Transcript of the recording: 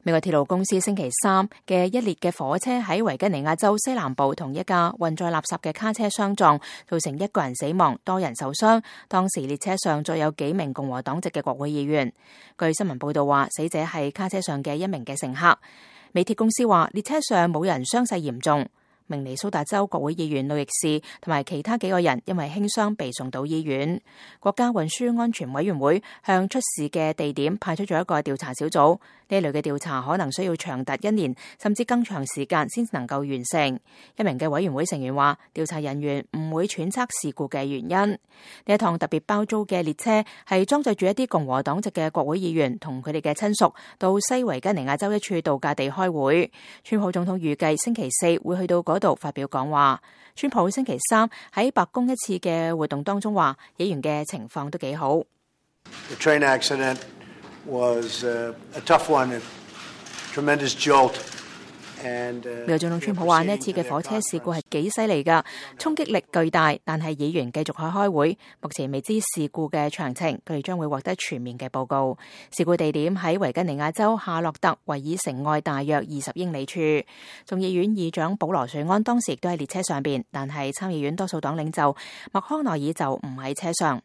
美國鐵路公司星期三嘅一列嘅火車喺維吉尼亞州西南部同一架運載垃圾嘅卡車相撞，造成1個人死亡，多人受傷。當時列車上載有幾名共和黨籍嘅國會議員。據新聞報道話，死者係卡車上嘅一名嘅乘客。美鐵公司話，列車上冇人傷勢嚴重。明尼蘇達州國會議員路易士同埋其他幾個人因為輕傷被送到醫院。國家運輸安全委員會向出事嘅地點派出咗一個調查小組，呢類嘅調查可能需要長達1年甚至更長時間先能夠完成。一名嘅委員會成員話，調查人員唔會揣測事故嘅原因。呢一趟特別包租嘅列車係裝載住一啲共和黨籍嘅國會議員同佢哋嘅親屬到西維吉尼亞州一處度假地開會。川普總統預計星期4會去到嗰度發表講話。川普星期三喺白宮一次嘅活動當中話，議員嘅情況都幾好。The train accident was a tough one, a tremendous jolt. 美國總統川普話，呢一次嘅火車事故係幾犀利㗎，衝擊力巨大，但係議員繼續去開會，目前未知事故嘅詳情，佢哋將會獲得全面嘅報告。事故地點喺維吉尼亞州夏洛特維爾城外大約20英里處。眾議院議長保羅瑞安當時亦都喺列車上邊，但係參議院多數黨領袖麥康奈爾就唔喺車上。